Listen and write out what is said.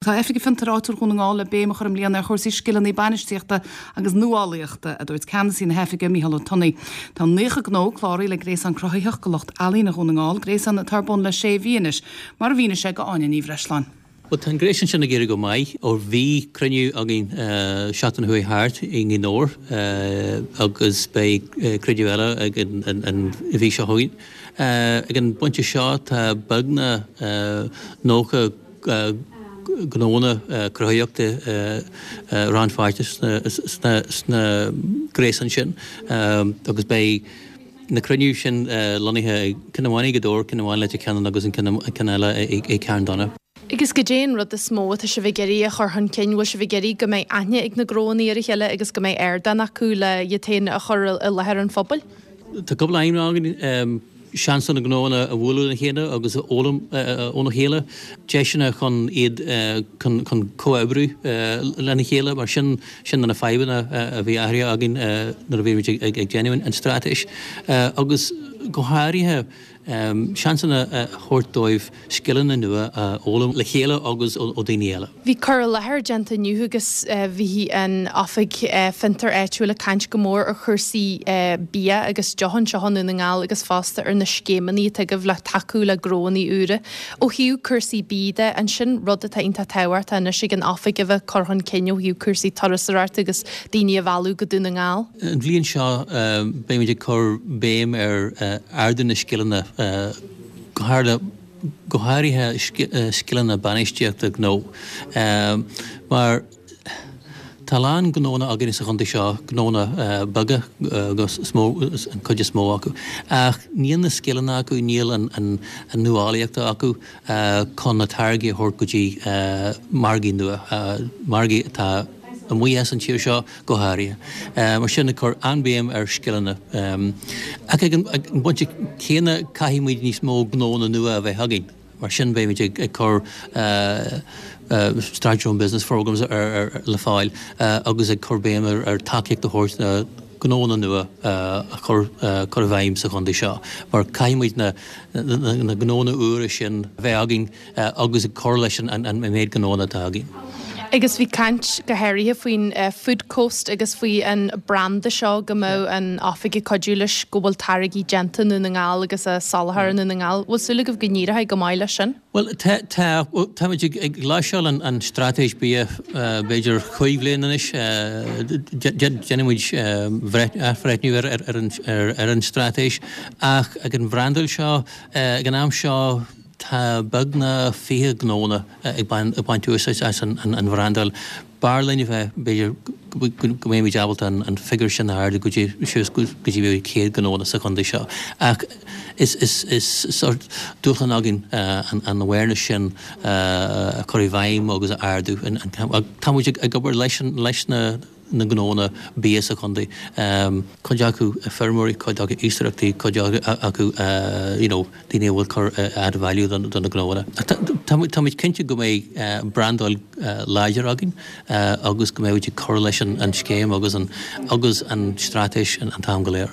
Tá Oifig Fiontair Áitiúil Dhún na nGall le béim a chur i mbliana ar chúrsaí scileanna bainistíochta agus nuálaíochta, a dúirt ceannasaí na hoifige, Mícheál Ó Tonnaigh. Tá 90 gnó cláraithe le Gréasán Cruthaitheach do Lucht Ealaíne Dhún na nGall, gréasán atá ar bun le sé mhí anois, mar a mhínigh sé do Áine Ní Bhreisleáin. Bhuel, tá an gréasán sin ag éirí go maith ó bhí cruinniú againn seachtain a chuaigh thart i nGaoth Dobhair agus beidh cruinniú eile againn an mhí seo chugainn. Ag an bpointe seo tá beagnach 90 gnónna cruthaitheachta rannpháirteach sna gréasáin sin agus beidh na cruinniú sin lonnaithe ceann amháin i nGaoth Dobhair, ceann amháin i Leitir Ceanainn agus an ceann eile i Carn Dona. Agus goidé an rud is mó atá sibh ag iarraidh a chur chun cinn? Bhfuil sibh ag iarraidh go mbeidh aithne ag na gnóanna ar a chéile agus go mbeidh ardán acu le iad féin a chur i láthair an phobail? Tá cúpla aidhm againn. seans do na gnóanna a bhualadh lena chéile agus a fhoghlaim óna chéile, deiseanna chun iad chun chun comhoibriú lena chéile mar sin sin na fadhbanna a bhí aithrithe againn nuair a bhí muid ag déanamh an straitéis agus go háirithe seansanna a thabhairt dóibh scileanna nua a fhoghlaim le chéile agus ó dhaoine eile. Bhí cur i láthair déanta inniu agus bhí an Oifig Fiontair Áitiúil ag caint go mór ar chúrsaí bia agus deoch anseo i nDún na nGall agus fosta ar na scéimeanna atá agaibh le tacú le gnóanna úra. Ó thaobh cúrsaí bídh de, an sin rud atá iontach tábhachtach anois ag an Oifig a bheith ag cur chun cinn ó thaobh cúrsaí turasóireachta agus daoine a mhealladh go Dún na nGall? An bhliain seo beimid ag cur béim ar ardú na scileanna, go háirithe go háirithe scileanna bainistíochta gnó, mar tá a lán gnónna againn sa chontae seo, gnónna beaga is mó, an chuid is mó acu, ach níl na scileanna acu, níl an nuálaíocht acu chun na táirgí a thabhairt go dtí margaí nua, margaí atá amuigh as an tír seo. go háirithe. Mar sin, ag cur an-bhéim ar scileanna. Ach ag an bpointe céanna, caithfidh muid níos mó gnónna nua a bheith againn. Mar sin, beimid ag cur Start Your Own Business Programmes le fáil agus ag cur béim ar tacaíocht a thabhairt do gnónna nua a chur i bhfeidhm sa chontae seo. Mar caithfidh muid na gnónna úra sin a bheith againn agus ag cur leis an méid gnónna atá againn. Agus bhí caint go háirithe faoin Food Coast agus faoi an branda seo go mbeadh an oifig ag cuidiú leis go bhfuil táirgí déanta i nDún na nGall agus á soláthar i nDún na nGall. Bhfuil súil agaibh go n-éireoidh go maith leis sin? Bhuel, tá, tá. Táimid ag láimhseáil an straitéis bia b'fhéidir chúig bhliain anois. Déanfaidh muid athbhreithniú ar an straitéis ach ag an bhrandáil seo, ag an am seo, Tá beagnach 20 gnónna ag baint úsáid as an bhrandáil. B'fhearr linn a bheith, b'fhéidir, go mbeimid ábalta an figiúr sin a ardú go dtí suas go dtí b'fhéidir 100 gnónna sa chontae seo. Ach is sórt dúshlán againn an awareness sin a chur i bhfeidhm agus a ardú. Tá muid ag obair leis na. na gnónna bia sa chontae, cuid acu feirmeoirí, cuid acu iascaireachtaí, cuid acu you know daoine a bhfuil cur add value do na gnóanna. Táimid cinnte go mbeidh brandáil láidir againn agus go mbeidh muid ag cur leis an scéim agus an agus an straitéis an t-am go léir.